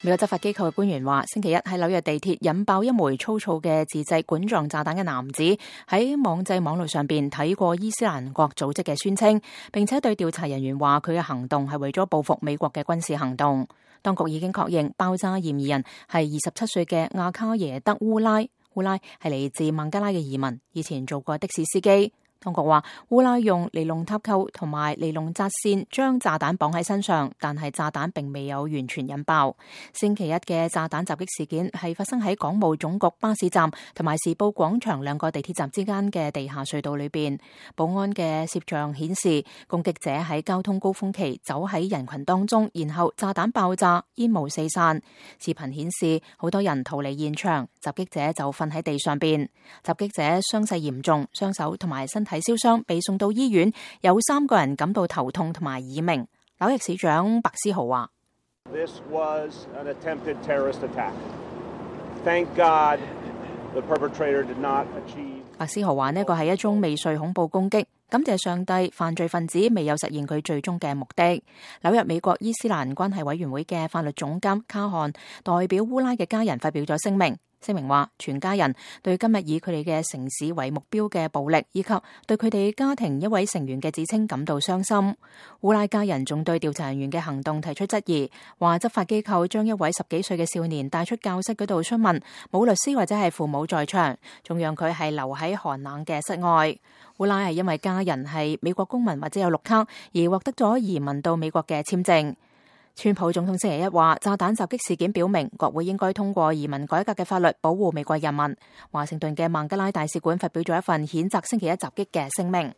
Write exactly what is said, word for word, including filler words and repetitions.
美國執法機構嘅官員話，星期一喺紐約地鐵引爆一枚粗糙嘅自製管狀炸彈嘅男子喺網際網路上邊睇過伊斯蘭國組織嘅宣稱，並且對調查人員話佢嘅行動係為咗報復美國嘅軍事行動。當局已經確認爆炸嫌疑人係二十七歲嘅亞卡耶德烏拉，烏拉係嚟自孟加拉嘅移民，以前做過的士司機。當局話，烏拉用尼龍塔扣同埋尼龍紮線將炸彈綁喺身上，但係炸彈並未有完全引爆。星期一嘅炸彈襲擊事件係發生喺港務總局巴士站同埋時報廣場兩個地鐵站之間嘅地下隧道裏邊。保安嘅攝像顯示，攻擊者喺交通高峰期走喺人群當中，然後炸彈爆炸，煙霧四散。視頻顯示好多人逃離現場，襲擊者就瞓喺地上邊。襲擊者傷勢嚴重，雙手同埋身體燒傷，被送到醫院，有三個人感到頭痛同埋耳鳴。紐約市長白思豪話：This was an attempted terrorist attack. Thank God the perpetrator did not achieve. 白思豪話呢個係一宗未遂恐怖攻擊，感謝上帝，犯罪分子未有實現佢最終嘅目的。紐約美國伊斯蘭關係委員會嘅法律總監卡漢代表烏拉嘅家人發表咗聲明。聲明話，全家人對今日以佢哋嘅城市為目標嘅暴力，以及對佢哋家庭一位成員嘅指稱感到傷心。烏拉家人仲對調查人員嘅行動提出質疑，話執法機構將一位十幾歲嘅少年帶出教室嗰度詢問，冇律師或者係父母在場，仲讓佢係留喺寒冷嘅室外。烏拉係因為家人係美國公民或者有綠卡而獲得咗移民到美國嘅簽證。川普總統星期一話，炸彈襲擊事件表明國會應該通過移民改革嘅法律，保護美國人民。華盛頓嘅孟加拉大使館發表咗一份譴責星期一襲擊嘅聲明。